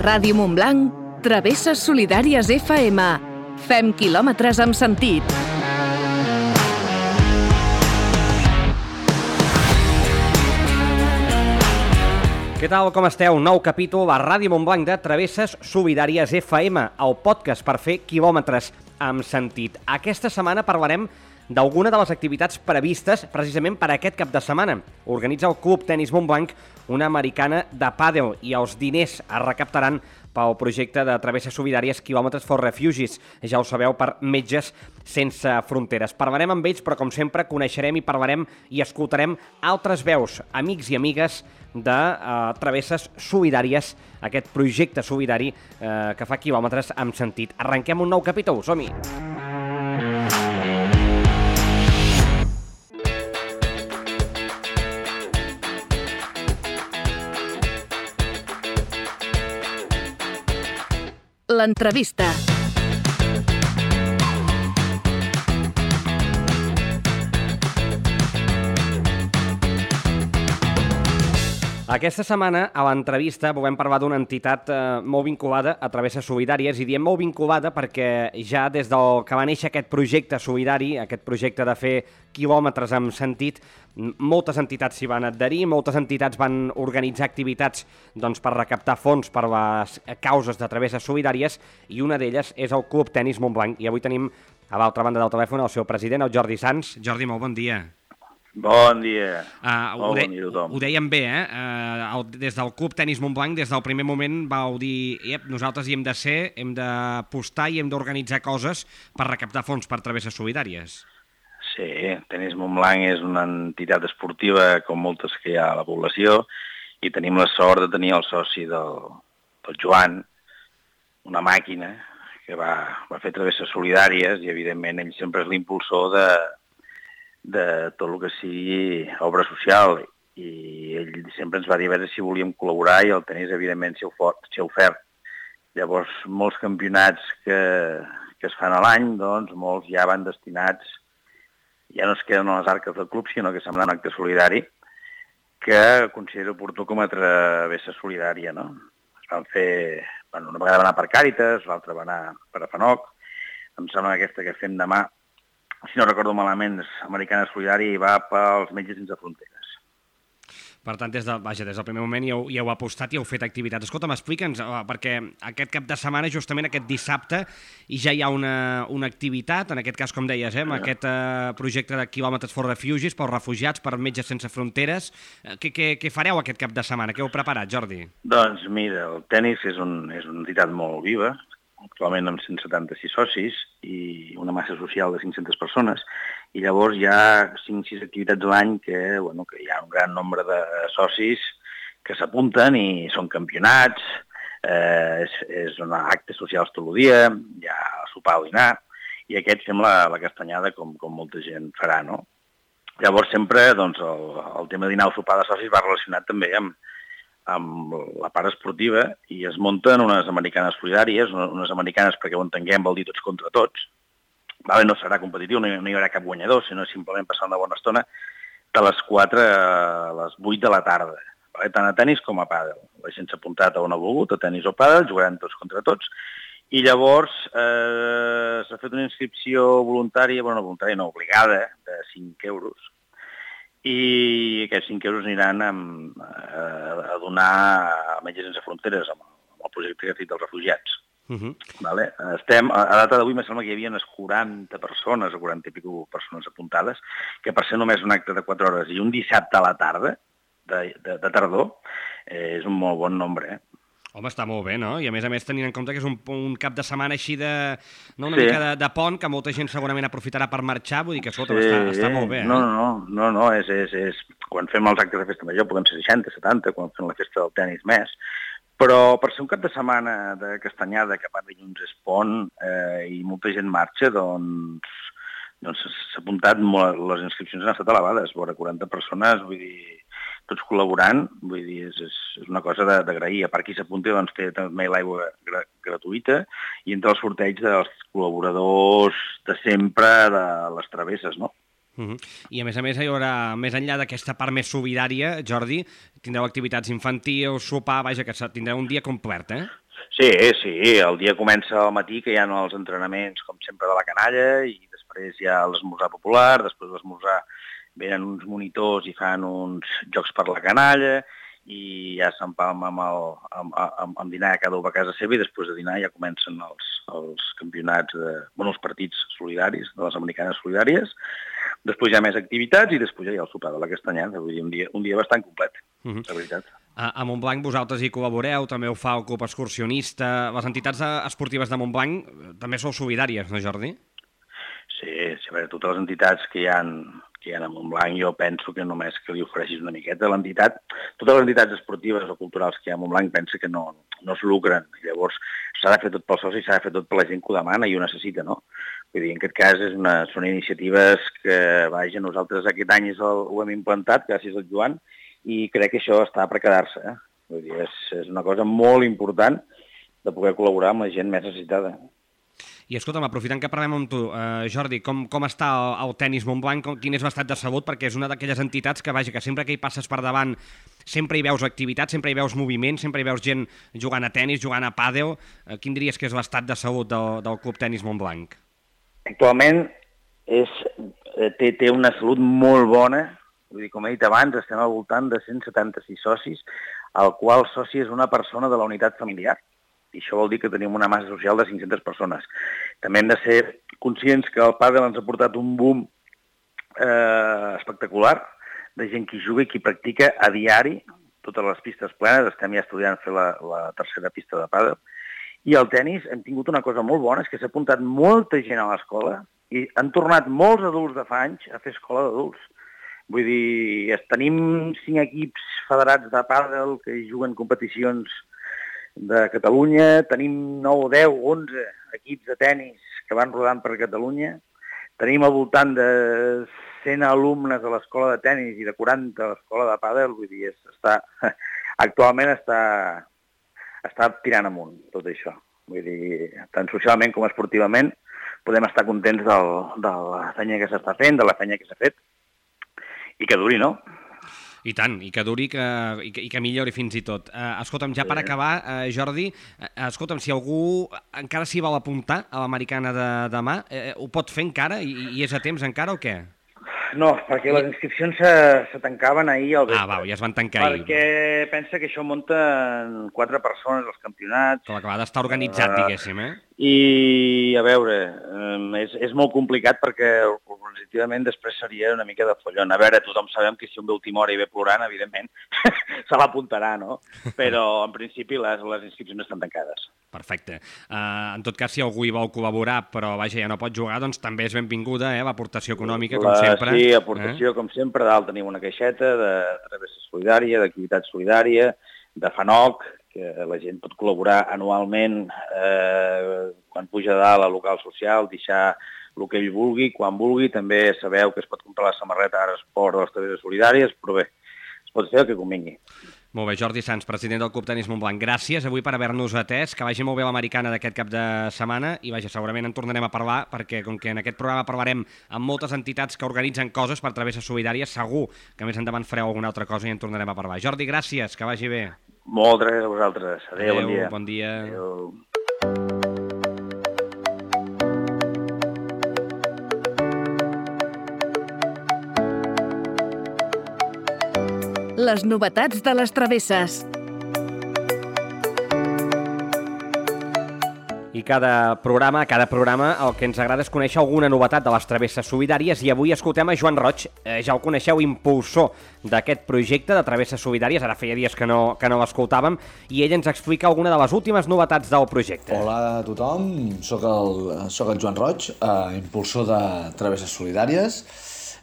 Ràdio Montblanc, Travesses Solidàries FM. Fem quilòmetres amb sentit. Què tal, com esteu? Nou capítol a Ràdio Montblanc de Travesses Solidàries FM, el podcast per fer quilòmetres amb sentit. Aquesta setmana parlarem d'alguna de les activitats previstes precisament per aquest cap de setmana. Organitza el Club Tenis Montblanc una americana de pàdel i els diners es recaptaran pel projecte de Travesses Solidàries Quilòmetres for Refugees, ja ho sabeu, per Metges Sense Fronteres. Parlarem amb ells, però com sempre coneixerem i parlarem i escoltarem altres veus, amics i amigues de Travesses Solidàries, aquest projecte solidari que fa quilòmetres amb sentit. Arrenquem un nou capítol, som-hi! L'entrevista. Aquesta setmana, a l'entrevista, volem parlar d'una entitat molt vinculada a Travesses Solidàries, i diem molt vinculada perquè ja des del que va néixer aquest projecte solidari, aquest projecte de fer quilòmetres amb sentit, moltes entitats s'hi van adherir, moltes entitats van organitzar activitats per recaptar fons per les causes de Travesses Solidàries, i una d'elles és el Club Tenis Montblanc. I avui tenim a l'altra banda del telèfon el seu president, el Jordi Sans. Jordi, molt bon dia. Bon dia. Bon dia a tothom. Ho dèiem bé, des del Club Tenis Montblanc, des del primer moment vau dir nosaltres hi hem de ser, hem d'apostar i hem d'organitzar coses per recaptar fons per Travesses Solidàries. Sí, Tenis Montblanc és una entitat esportiva com moltes que hi ha a la població, i tenim la sort de tenir el soci del Joan, una màquina que va fer Travesses Solidàries, i evidentment ell sempre és l'impulsor de tot el que sigui obra social, i ell sempre ens va dir a veure si volíem col·laborar, i el tenis evidentment s'hi ha ofert. Llavors, molts campionats que es fan a l'any, doncs molts ja van destinats, ja no es queden a les arques del club, sinó que se'n van a un acte solidari que considero oportú com a travessa solidària, no? Es van fer, una vegada va anar per Càritas, l'altra va anar per Afanoc, em sembla que aquesta que fem demà, si no recordo malament, és Americana Solidària i va pels Metges Sense Fronteres. Per tant, des del primer moment ja heu apostat i heu fet activitats. Escolta, m'explica'ns, perquè aquest cap de setmana, justament aquest dissabte, ja hi ha una activitat, en aquest cas, com deies, amb aquest projecte de Quilòmetres for Refugees, pels refugiats, per Metges Sense Fronteres. Què fareu aquest cap de setmana? Què heu preparat, Jordi? Doncs mira, el tenis és una entitat molt viva, actualment amb 176 socis i una massa social de 500 persones, i llavors hi ha 5-6 activitats a l'any que hi ha un gran nombre de socis que s'apunten i són campionats, és actes socials tot el dia, hi ha sopar o dinar, i aquest fem la castanyada com molta gent farà, no? Llavors sempre el tema de dinar o sopar de socis va relacionat també amb la part esportiva, i es munten unes americanes solidàries, unes americanes perquè ho entenguem vol dir tots contra tots. No serà competitiu, no hi haurà cap guanyador, sinó simplement passar una bona estona de les 4 a les 8 de la tarda, tant a tenis com a pàdel. La gent s'ha apuntat a on ha volgut, a tenis o pàdel, jugaran tots contra tots, i llavors s'ha fet una inscripció voluntària, no, obligada, de 5 euros, i aquests 5 euros aniran a donar a Metges Sense Fronteres amb el projecte que ha fet dels refugiats. A data d'avui me sembla que hi havia unes 40 persones o 40 i escaig persones apuntades, que per ser només un acte de 4 hores i un dissabte a la tarda, de tardor, és un molt bon nombre, Home, està molt bé, no? I a més tenint en compte que és un cap de setmana així una mica de pont, que molta gent segurament aprofitarà per marxar, vull dir que està molt bé. No, és quan fem els actes de festa major podem ser 60, 70, quan fem la festa del tenis més, però per ser un cap de setmana de castanyada, que per dilluns és pont i molta gent marxa, doncs s'ha apuntat, les inscripcions han estat elevades, vora 40 persones, vull dir, tots col·laborant, vull dir, és una cosa d'agrair. A part qui s'apunti, doncs té també l'aigua gratuïta, i entre els sorteigs dels col·laboradors de sempre de les travesses, no? I a més hi haurà, més enllà d'aquesta part més solidària, Jordi, tindreu activitats infantils, sopar, vaja, que tindreu un dia complet, eh? Sí, el dia comença al matí, que hi ha els entrenaments, com sempre, de la canalla, i després hi ha l'esmorzar popular, després de l'esmorzar venen uns monitors i fan uns jocs per la canalla, i ja s'empalma amb dinar cada un a casa seva, i després de dinar ja comencen els campionats, els partits solidaris, de les americanes solidàries. Després hi ha més activitats i després ja hi ha el sopar de la Castanyada. Vull dir, un dia bastant complet, la veritat. A Montblanc vosaltres hi col·laboreu, també ho fa el Club Excursionista. Les entitats esportives de Montblanc també sou solidàries, no, Jordi? Sí, a veure, totes les entitats que hi ha a Montblanc, jo penso que només que li ofereixis una miqueta a l'entitat. Totes les entitats esportives o culturals que hi ha a Montblanc pensa que no es lucren. Llavors s'ha de fer tot pel soci, s'ha de fer tot per la gent que ho demana i ho necessita, no? Vull dir, en aquest cas són iniciatives que, vaja, nosaltres aquest any ho hem implantat gràcies al Joan, i crec que això està per quedar-se. Vull dir, és una cosa molt important de poder col·laborar amb la gent més necessitada. I escolta'm, aprofitant que parlem amb tu, Jordi, com està el tenis Montblanc, quin és l'estat de salut? Perquè és una d'aquelles entitats que, vaja, que sempre que hi passes per davant sempre hi veus activitat, sempre hi veus moviment, sempre hi veus gent jugant a tenis, jugant a pàdel. Quin diries que és l'estat de salut del Club Tenis Montblanc? Actualment té una salut molt bona. Vull dir, com he dit abans, estem al voltant de 176 socis, el qual soci és una persona de la unitat familiar. I això vol dir que tenim una massa social de 500 persones. També hem de ser conscients que el pàdel ens ha portat un boom espectacular de gent que juga i que practica a diari, totes les pistes plenes. Estem ja estudiant fer la tercera pista de pàdel. I al tenis hem tingut una cosa molt bona, és que s'ha apuntat molta gent a l'escola i han tornat molts adults de fa anys a fer escola d'adults. Vull dir, tenim 5 equips federats de pàdel que juguen competicions de Catalunya, tenim 9, 10, 11 equips de tenis que van rodant per Catalunya, tenim al voltant de 100 alumnes a l'escola de tenis i de 40 a l'escola de pàdel. Vull dir, actualment està tirant amunt tot això. Vull dir, tant socialment com esportivament podem estar contents de la feina que s'està fent, de la feina que s'ha fet, i que duri, no? I tant, i que duri i que millori fins i tot. Escolta'm, ja per acabar, Jordi, escolta'm, si algú encara s'hi vol apuntar a l'americana de demà, ho pot fer encara? I és a temps encara o què? No, perquè les inscripcions se tancaven ahir al vespre. Ja es van tancar ahir. Perquè pensa que això munten 4 persones als campionats. Clar, que ha d'estar organitzat, diguéssim, I, a veure, és molt complicat perquè organitzativament després seria una mica de follon. A veure, tothom sabem que si un ve a última hora i ve plorant, evidentment, se l'apuntarà, no? Però, en principi, les inscripcions estan tancades. Perfecte. En tot cas, si algú hi vol col·laborar, però, vaja, ja no pot jugar, doncs també és benvinguda, l'aportació econòmica, com sempre. Sí, aportació, com sempre. Dalt tenim una caixeta de travessa solidària, d'activitat solidària, de FANOC, que la gent pot col·laborar anualment quan puja a dalt al local social, deixar el que ell vulgui, quan vulgui. També sabeu que es pot comprar la samarreta Ara Esport de les travesses solidàries, però bé, es pot fer el que convingui. Molt bé, Jordi Sans, president del Club Tenis Montblanc. Gràcies avui per haver-nos atès, que vagi molt bé l'americana d'aquest cap de setmana i vaja, segurament en tornarem a parlar perquè com que en aquest programa parlarem amb moltes entitats que organitzen coses per travesses solidàries, segur que més endavant fareu alguna altra cosa i en tornarem a parlar. Jordi, gràcies, que vagi bé. Moltes gràcies a vosaltres. Adéu, bon dia. Bon dia. Adéu. Les novetats de les travesses. I cada programa el que ens agrada és conèixer alguna novetat de les travesses solidàries i avui escoltem a Joan Roig, ja el coneixeu, impulsor d'aquest projecte de travesses solidàries, ara feia dies que no l'escoltàvem, i ell ens explica alguna de les últimes novetats del projecte. Hola a tothom, soc el Joan Roig, impulsor de travesses solidàries,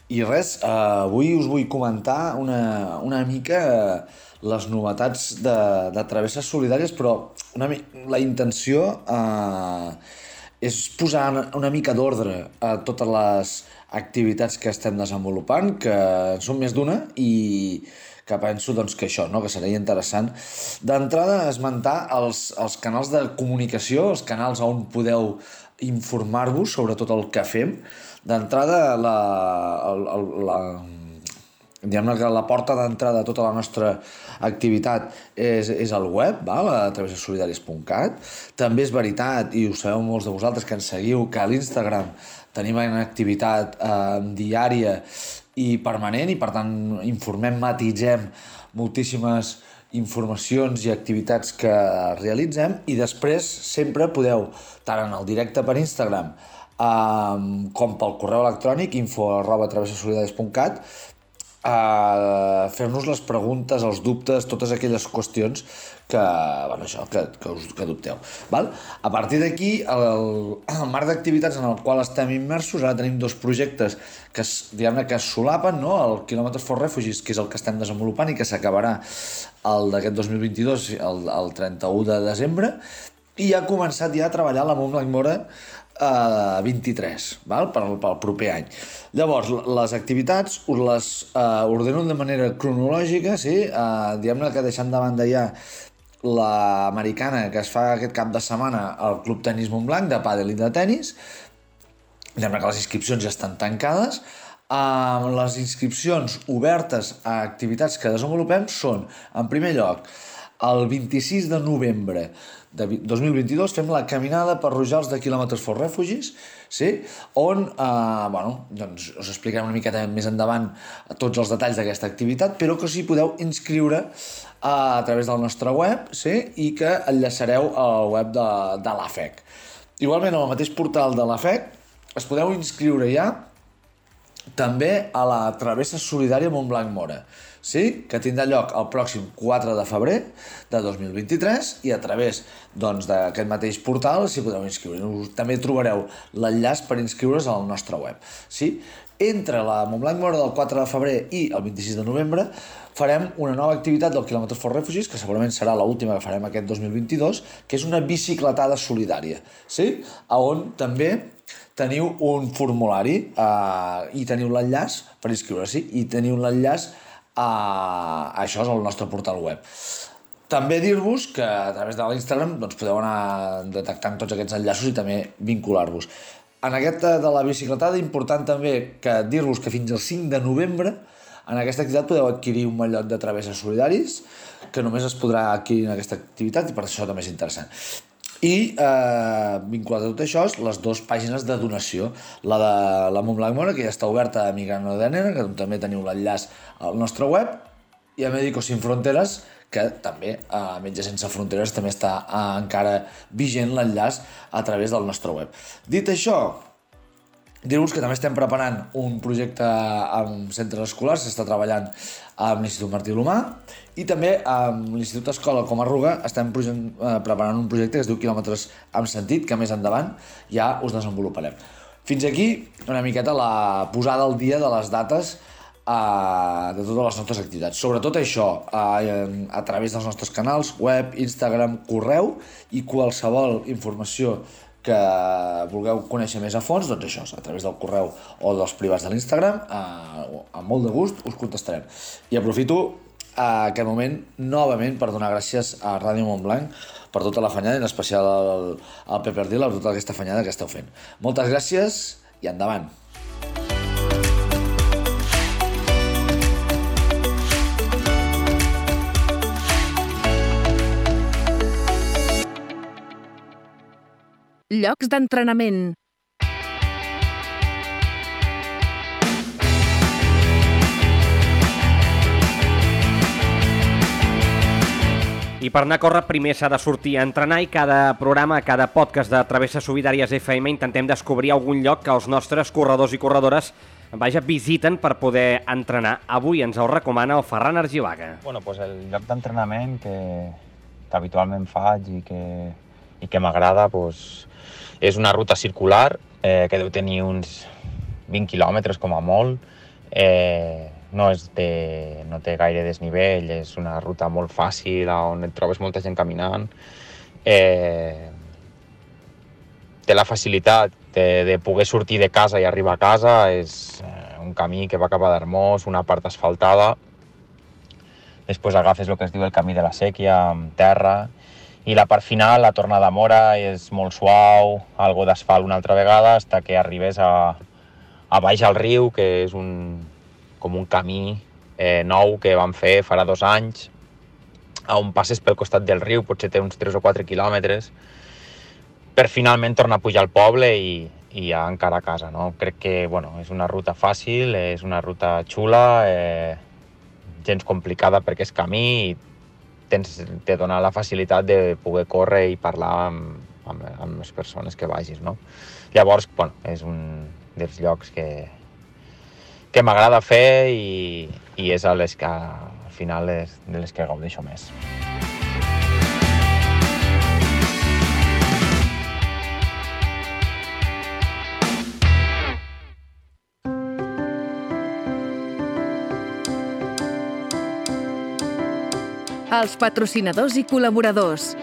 i res, avui us vull comentar una mica les novetats de travesses solidàries, però la intenció és posar una mica d'ordre a totes les activitats que estem desenvolupant, que en són més d'una, i que penso doncs, que això, no? Que seria interessant. D'entrada, esmentar els canals de comunicació, els canals on podeu informar-vos sobre tot el que fem. D'entrada, diguem-ne que la porta d'entrada de tota la nostra activitat és el web, a travessasolidàries.cat. També és veritat, i ho sabeu molts de vosaltres que ens seguiu, que a l'Instagram tenim una activitat diària i permanent, i per tant informem, matitzem moltíssimes informacions i activitats que realitzem, i després sempre podeu, tant en el directe per Instagram com pel correu electrònic info@travessasolidàries.cat, fer-nos les preguntes, els dubtes, totes aquelles qüestions que dubteu. Val? A partir d'aquí, el marc d'activitats en el qual estem immersos, ara tenim 2 projectes que diguem-ne que es solapen, no? El Kilometers for Refugees, que és el que estem desenvolupant i que s'acabarà el d'aquest 2022, el 31 de desembre, i ha començat ja a treballar la Montblanc Móra 23, val? Pel proper any. Llavors, les activitats us les ordeno de manera cronològica, sí? Diguem-ne que deixant de banda ja l'americana que es fa aquest cap de setmana al Club Tenis Montblanc, de pàdel i de tenis. Diguem-ne que les inscripcions ja estan tancades. Les inscripcions obertes a activitats que desenvolupem són, en primer lloc, el 26 de novembre de 2022 fem la caminada per Rojals de Kilometers for Refugees, sí? On doncs us explicarem una miqueta més endavant tots els detalls d'aquesta activitat, però que us hi podeu inscriure a través del nostre web, sí? I que enllaçareu al web de l'AFEC. Igualment, al mateix portal de l'AFEC es podeu inscriure ja també a la Travessa Solidària Montblanc Móra, sí? Que tindrà lloc el pròxim 4 de febrer de 2023, i a través d'aquest mateix portal s'hi podeu inscriure. També trobareu l'enllaç per inscriure's al nostre web. Sí? Entre la Montblanc Móra del 4 de febrer i el 26 de novembre farem una nova activitat del Kilometers for Refugees, que segurament serà l'última que farem aquest 2022, que és una bicicletada solidària, sí? On també teniu un formulari i teniu l'enllaç per inscriure-s'hi, i teniu l'enllaç això és el nostre portal web. També dir-vos que a través de l'Instagram podeu anar detectant tots aquests enllaços i també vincular-vos. En aquesta de la bicicletada, important també que dir-vos que fins al 5 de novembre en aquesta activitat podeu adquirir un mallot de Travesses Solidaris, que només es podrà adquirir en aquesta activitat, i per això també és interessant. I vinculat a tot això, les 2 pàgines de donació, la de la Montblanc Móra, que ja està oberta a Migrano de Nena, que també teniu l'enllaç al nostre web, i a Médicos Sin Fronteras, que també a Metges Sense Fronteres també està encara vigent l'enllaç a través del nostre web. Dit això, dir-vos que també estem preparant un projecte amb centres escolars, s'està treballant amb l'Institut Martí L'Humà, i també amb l'Institut Escola Comarruga estem preparant un projecte que es diu Quilòmetres amb Sentit, que més endavant ja us desenvoluparem. Fins aquí una miqueta la posada al dia de les dates de totes les nostres activitats. Sobretot això, a través dels nostres canals, web, Instagram, correu, i qualsevol informació que vulgueu conèixer més a fons, doncs això, a través del correu o dels privats de l'Instagram, amb molt de gust us contestarem. I aprofito aquest moment novament per donar gràcies a Ràdio Montblanc per tota la fanyada, en especial al Pep Ardil, per tota aquesta fanyada que esteu fent. Moltes gràcies i endavant! Llocs d'entrenament. I per anar a córrer primer s'ha de sortir a entrenar, i cada programa, cada podcast de Travesses Solidàries FM intentem descobrir algun lloc que els nostres corredors i corredores visiten per poder entrenar. Avui ens ho recomana el Ferran Argilaga. Bueno, pues el lloc d'entrenament que habitualment faig i que m'agrada pues, és una ruta circular que deu tenir uns 20 quilòmetres com a molt. No té gaire desnivell, és una ruta molt fàcil on et trobes molta gent caminant. Té la facilitat de poder sortir de casa i arribar a casa. És un camí que va cap a Darmós, una part asfaltada. Després agafes el que es diu el camí de la Sèquia, amb terra. I la part final, la tornada a Móra, és molt suau, algo d'asfalt una altra vegada, fins que arribes a baix al riu, que és com un camí nou que vam fer farà 2 anys, on passes pel costat del riu, potser té uns 3 o 4 quilòmetres, per finalment tornar a pujar al poble i ja encara a casa, no? Crec que és una ruta fàcil, és una ruta xula, gens complicada perquè és camí i te dona la facilitat de poder córrer i parlar amb les persones que vagis, no? Llavors, és un dels llocs que m'agrada fer i és a les que al final de les que gaudeixo més. Els patrocinadors i col·laboradors.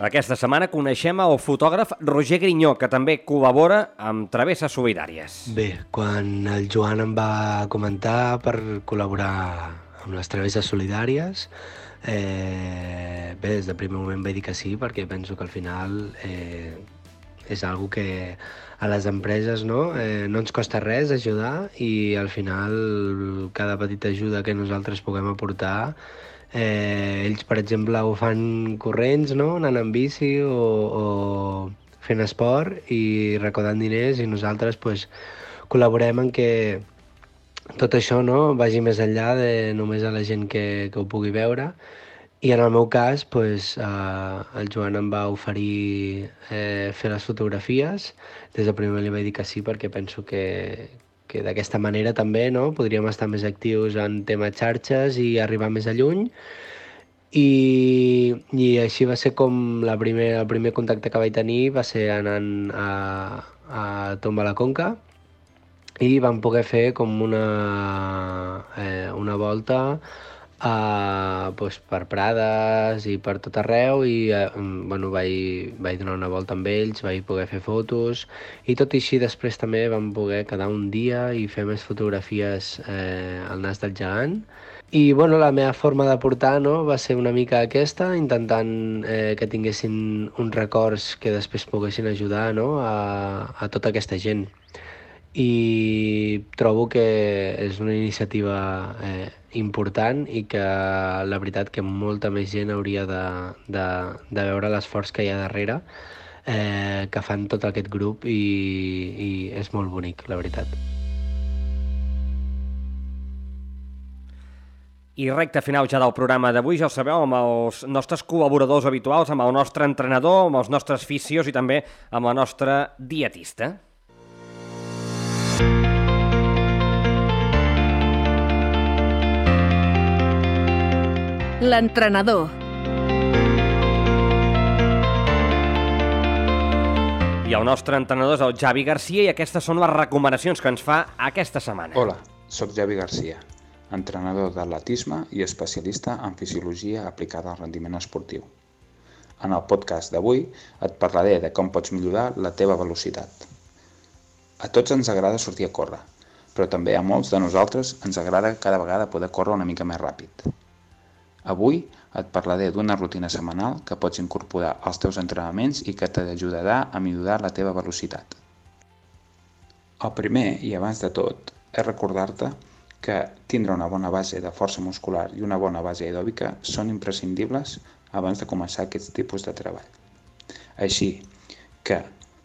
Aquesta setmana coneixem el fotògraf Roger Grinyó, que també col·labora amb Travesses Solidàries. Bé, quan el Joan em va comentar per col·laborar amb les Travesses Solidàries, des del primer moment vaig dir que sí, perquè penso que al final és algo que a les empreses no ens costa res ajudar i al final cada petita ajuda que nosaltres puguem aportar, ells per exemple ho fan corrents, no? Anant en bici o fent esport i recaudant diners i nosaltres col·laborem en que tot això vagi més enllà de només a la gent que ho pugui veure. I en el meu cas, el Joan em va oferir fer les fotografies. Des del primer li vaig dir que sí, perquè penso que d'aquesta manera també podríem estar més actius en temes xarxes i arribar més a lluny. I així va ser com el primer contacte que vaig tenir, va ser anant a Tomba la Conca i vam poder fer com una volta per Prades i per tot arreu i vaig donar una volta amb ells, vaig poder fer fotos i tot i així després també vam poder quedar un dia i fer més fotografies al Nas del Gegant. I la meva forma de portar va ser una mica aquesta, intentant que tinguessin uns records que després poguessin ajudar a tota aquesta gent. I trobo que és una iniciativa important i que la veritat que molta més gent hauria de veure l'esforç que hi ha darrere que fan tot aquest grup i és molt bonic, la veritat. I recte final ja del programa d'avui, ja ho sabeu, amb els nostres col·laboradors habituals, amb el nostre entrenador, amb els nostres fisios i també amb la nostra dietista. L'entrenador. I el nostre entrenador és el Javi Garcia i aquestes són les recomanacions que ens fa aquesta setmana. Hola, sóc Javi Garcia, entrenador d'atletisme i especialista en fisiologia aplicada al rendiment esportiu. En el podcast d'avui et parlaré de com pots millorar la teva velocitat. A tots ens agrada sortir a córrer, però també a molts de nosaltres ens agrada cada vegada poder córrer una mica més ràpid. Avui et parlaré d'una rutina setmanal que pots incorporar als teus entrenaments i que t'ajudarà a millorar la teva velocitat. El primer, i abans de tot, és recordar-te que tindre una bona base de força muscular i una bona base aeròbica són imprescindibles abans de començar aquests tipus de treball. Així que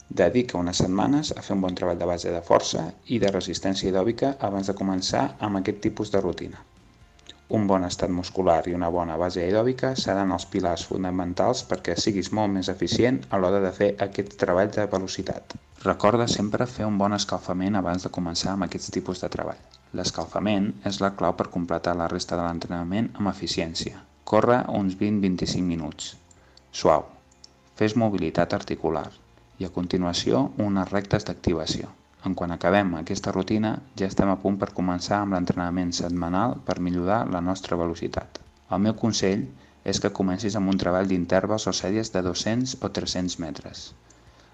dedica unes setmanes a fer un bon treball de base de força i de resistència aeròbica abans de començar amb aquest tipus de rutina. Un bon estat muscular i una bona base aeròbica seran els pilars fonamentals perquè siguis molt més eficient a l'hora de fer aquest treball de velocitat. Recorda sempre fer un bon escalfament abans de començar amb aquests tipus de treball. L'escalfament és la clau per completar la resta de l'entrenament amb eficiència. Corre uns 20-25 minuts. Suau. Fes mobilitat articular i a continuació unes rectes d'activació. Quan acabem aquesta rutina ja estem a punt per començar amb l'entrenament setmanal per millorar la nostra velocitat. El meu consell és que comencis amb un treball d'intervals o sèries de 200 o 300 metres.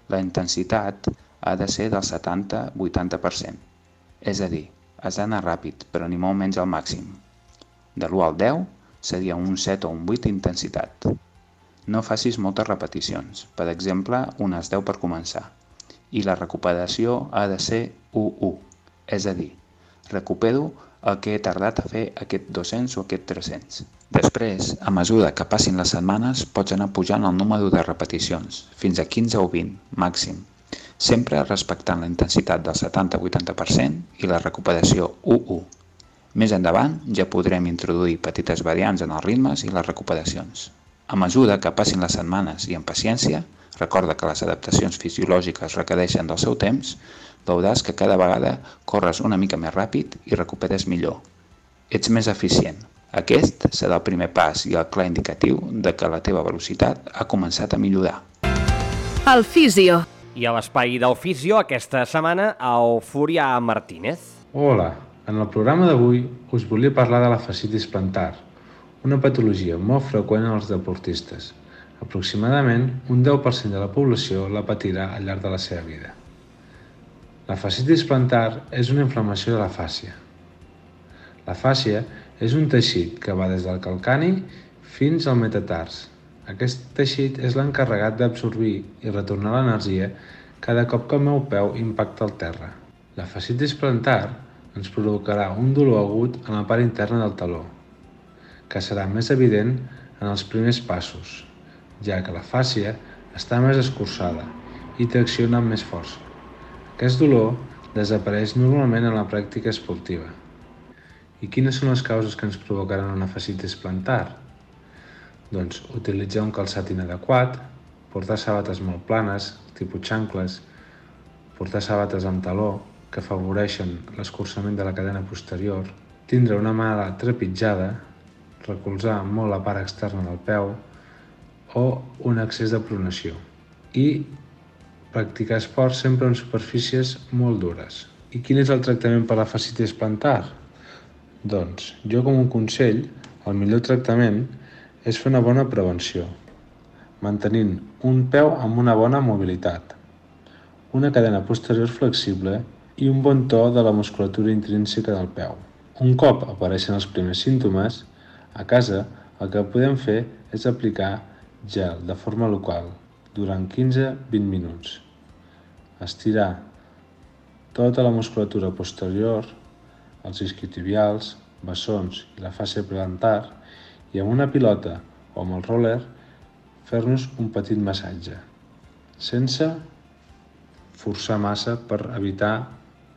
La intensitat ha de ser del 70-80%. És a dir, has d'anar ràpid, però ni molt menys al màxim. De l'1 al 10 seria un 7 o un 8 d'intensitat. No facis moltes repeticions, per exemple, unes 10 per començar. I la recuperació ha de ser 1-1. és a dir, recupero el que he tardat a fer aquest 200 o aquest 300. Després, a mesura que passin les setmanes, pots anar pujant el número de repeticions, fins a 15 o 20, màxim, sempre respectant la intensitat del 70-80% i la recuperació 1-1. Més endavant ja podrem introduir petites variants en els ritmes i les recuperacions. A mesura que passin les setmanes i amb paciència, recorda que les adaptacions fisiològiques requereixen del seu temps, veuràs que cada vegada corres una mica més ràpid i recuperes millor. Ets més eficient. Aquest serà el primer pas i el clar indicatiu de que la teva velocitat ha començat a millorar. El Fisio. I a l'espai del Fisio, aquesta setmana, el Fúria Martínez. Hola, en el programa d'avui us volia parlar de la fascitis plantar, una patologia molt freqüent en els deportistes. Aproximadament un 10% de la població la patirà al llarg de la seva vida. La fascitis plantar és una inflamació de la fàscia. La fàscia és un teixit que va des del calcani fins al metatars. Aquest teixit és l'encarregat d'absorbir i retornar l'energia cada cop que el meu peu impacta el terra. La fascitis plantar ens provocarà un dolor agut en la part interna del taló, que serà més evident en els primers passos, ja que la fàscia està més escurçada i tracciona amb més força. Aquest dolor desapareix normalment en la pràctica esportiva. I quines són les causes que ens provocaran una fascitis plantar? Doncs utilitzar un calçat inadequat, portar sabates molt planes, tipus xancles, portar sabates amb taló que afavoreixen l'escurçament de la cadena posterior, tindre una mala trepitjada, recolzar molt la part externa del peu o un excés de pronació. I practicar esport sempre en superfícies molt dures. I quin és el tractament per a la fascitis plantar? Doncs, jo com un consell, el millor tractament és fer una bona prevenció, mantenint un peu amb una bona mobilitat, una cadena posterior flexible i un bon to de la musculatura intrínseca del peu. Un cop apareixen els primers símptomes, a casa el que podem fer és aplicar gel de forma local durant 15-20 minuts. Estirar tota la musculatura posterior, els isquiotibials, bessons i la fàscia plantar i amb una pilota o amb el roller fer-nos un petit massatge, sense forçar massa per evitar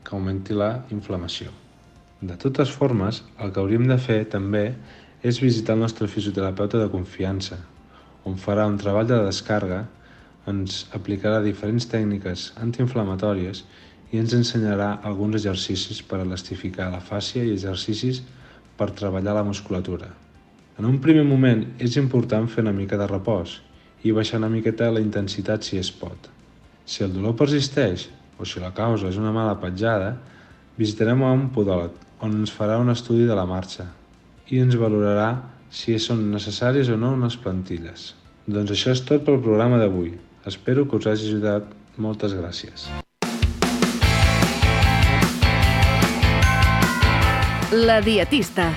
que augmenti la inflamació. De totes formes, el que hauríem de fer també és visitar el nostre fisioterapeuta de confiança, on farà un treball de descàrrega, ens aplicarà diferents tècniques antiinflamatòries i ens ensenyarà alguns exercicis per elastificar la fàscia i exercicis per treballar la musculatura. En un primer moment és important fer una mica de repòs i baixar una miqueta la intensitat si es pot. Si el dolor persisteix o si la causa és una mala petjada, visitarem a un podòleg on ens farà un estudi de la marxa i ens valorarà si són necessàries o no unes plantilles. Doncs això és tot pel programa d'avui. Espero que us hagi ajudat. Moltes gràcies. La dietista.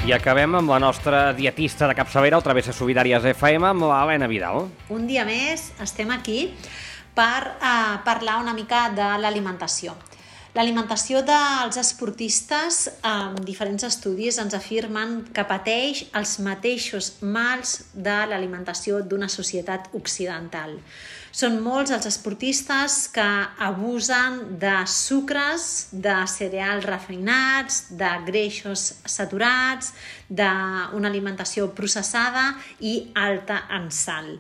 I acabem amb la nostra dietista de capçalera, al Travesses Solidàries FM, amb l'Helena Vidal. Un dia més estem aquí per parlar una mica de l'alimentació. L'alimentació dels esportistes, diferents estudis ens afirmen que pateix els mateixos mals de l'alimentació d'una societat occidental. Són molts els esportistes que abusen de sucres, de cereals refinats, de greixos saturats, d'una alimentació processada i alta en sal.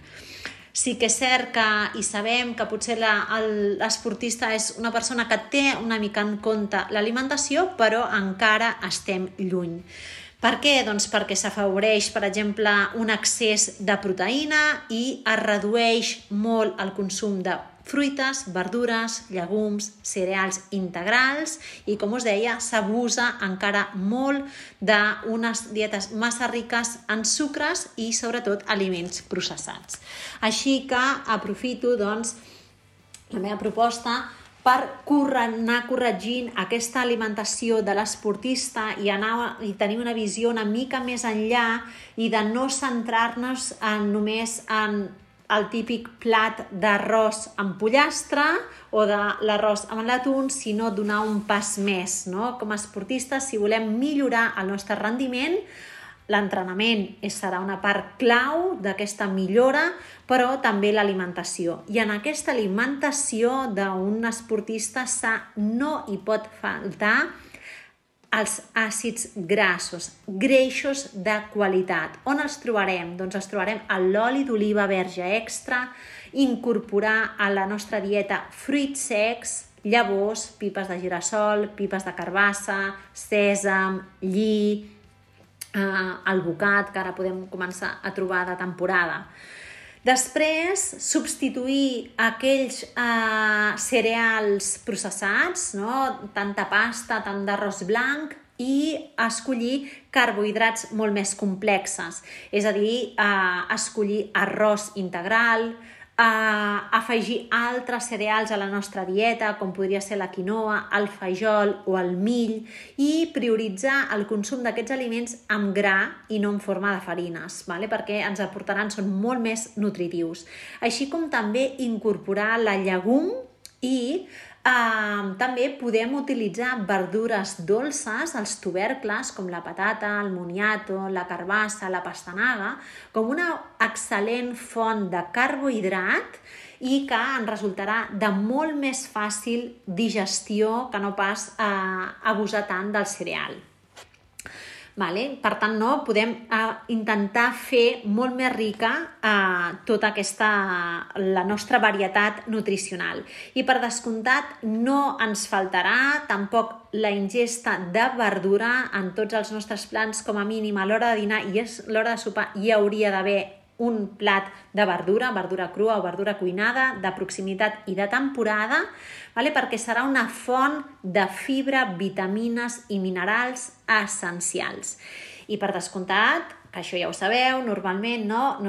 Sí que és cert que i sabem que potser l'esportista és una persona que té una mica en compte l'alimentació, però encara estem lluny. Per què? Doncs perquè s'afavoreix, per exemple, un excés de proteïna i es redueix molt el consum de fruites, verdures, llegums, cereals integrals i, com us deia, s'abusa encara molt d'unes dietes massa riques en sucres i, sobretot, aliments processats. Així que aprofito, doncs, la meva proposta per anar corregint aquesta alimentació de l'esportista i tenir una visió una mica més enllà i de no centrar-nos només en el típic plat d'arròs amb pollastre o de l'arròs amb l'atún, sinó donar un pas més, no? Com a esportistes, si volem millorar el nostre rendiment, l'entrenament serà una part clau d'aquesta millora, però també l'alimentació. I en aquesta alimentació d'un esportista no hi pot faltar els àcids grassos, greixos de qualitat. On els trobarem? Doncs els trobarem a l'oli d'oliva verge extra, incorporar a la nostra dieta fruits secs, llavors, pipes de girassol, pipes de carbassa, sèsam, lli, alvocat, que ara podem començar a trobar de temporada. Després, substituir aquells cereals processats, no? Tanta pasta, tant d'arròs blanc, i escollir carbohidrats molt més complexes. És a dir, escollir arròs integral, afegir altres cereals a la nostra dieta, com podria ser la quinoa, el fajol o el mill, i prioritzar el consum d'aquests aliments amb gra i no en forma de farines, perquè ens aportaran, són molt més nutritius. Així com també incorporar la llegum i també podem utilitzar verdures dolces, els tubercles, com la patata, el moniato, la carbassa, la pastanaga, com una excel·lent font de carbohidrat i que ens resultarà de molt més fàcil digestió que no pas abusar tant del cereal. Per tant, podem intentar fer molt més rica tota la nostra varietat nutricional. I per descomptat no ens faltarà tampoc la ingesta de verdura en tots els nostres plans, com a mínim a l'hora de dinar i a l'hora de sopar hi hauria d'haver un plat de verdura crua o verdura cuinada, de proximitat i de temporada, perquè serà una font de fibra, vitamines i minerals essencials. I per descomptat, que això ja ho sabeu, normalment no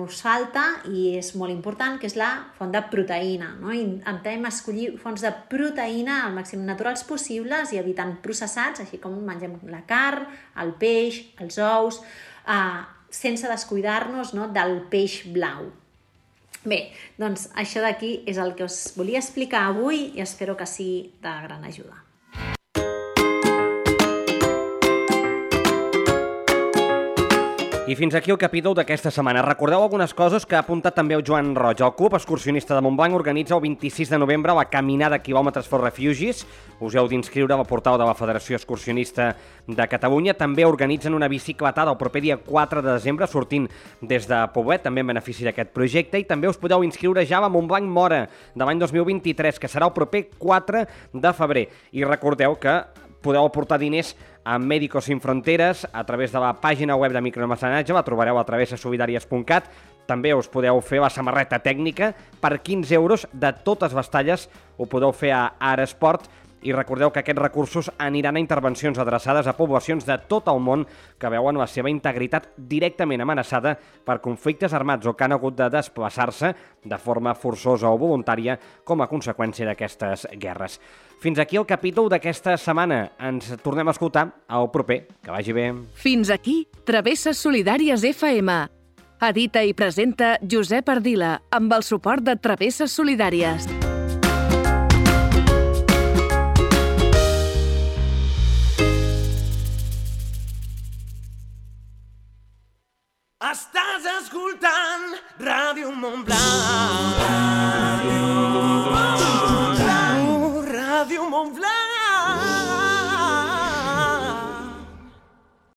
us falta i és molt important, que és la font de proteïna. Intentem escollir fonts de proteïna al màxim naturals possibles i evitant processats, així com mengem la carn, el peix, els ous, sense descuidar-nos del peix blau. Bé, doncs això d'aquí és el que us volia explicar avui i espero que sigui de gran ajuda. I fins aquí el capítol d'aquesta setmana. Recordeu algunes coses que ha apuntat també el Joan Roig. El Club Excursionista de Montblanc organitza el 26 de novembre la caminada Quilòmetres for Refugees. Us heu d'inscriure al portal de la Federació Excursionista de Catalunya. També organitzen una bicicletada el proper dia 4 de desembre, sortint des de Poblet, també en benefici d'aquest projecte. I també us podeu inscriure ja a la Montblanc Mora de l'any 2023, que serà el proper 4 de febrer. I recordeu que podeu aportar diners a Médicos Sin Fronteres a través de la pàgina web de micromecenatge, la trobareu a travessasolidàries.cat. També us podeu fer la samarreta tècnica per 15 euros de totes les talles, ho podeu fer a Aresport. I recordeu que aquests recursos aniran a intervencions adreçades a poblacions de tot el món que veuen la seva integritat directament amenaçada per conflictes armats o que han hagut de desplaçar-se de forma forçosa o voluntària com a conseqüència d'aquestes guerres. Fins aquí el capítol d'aquesta setmana. Ens tornem a escoltar al proper. Que vagi bé. Fins aquí Travesses Solidàries FM. Edita i presenta Josep Ardila amb el suport de Travesses Solidàries. Estàs escoltant Ràdio Montblanc. Ràdio Montblanc.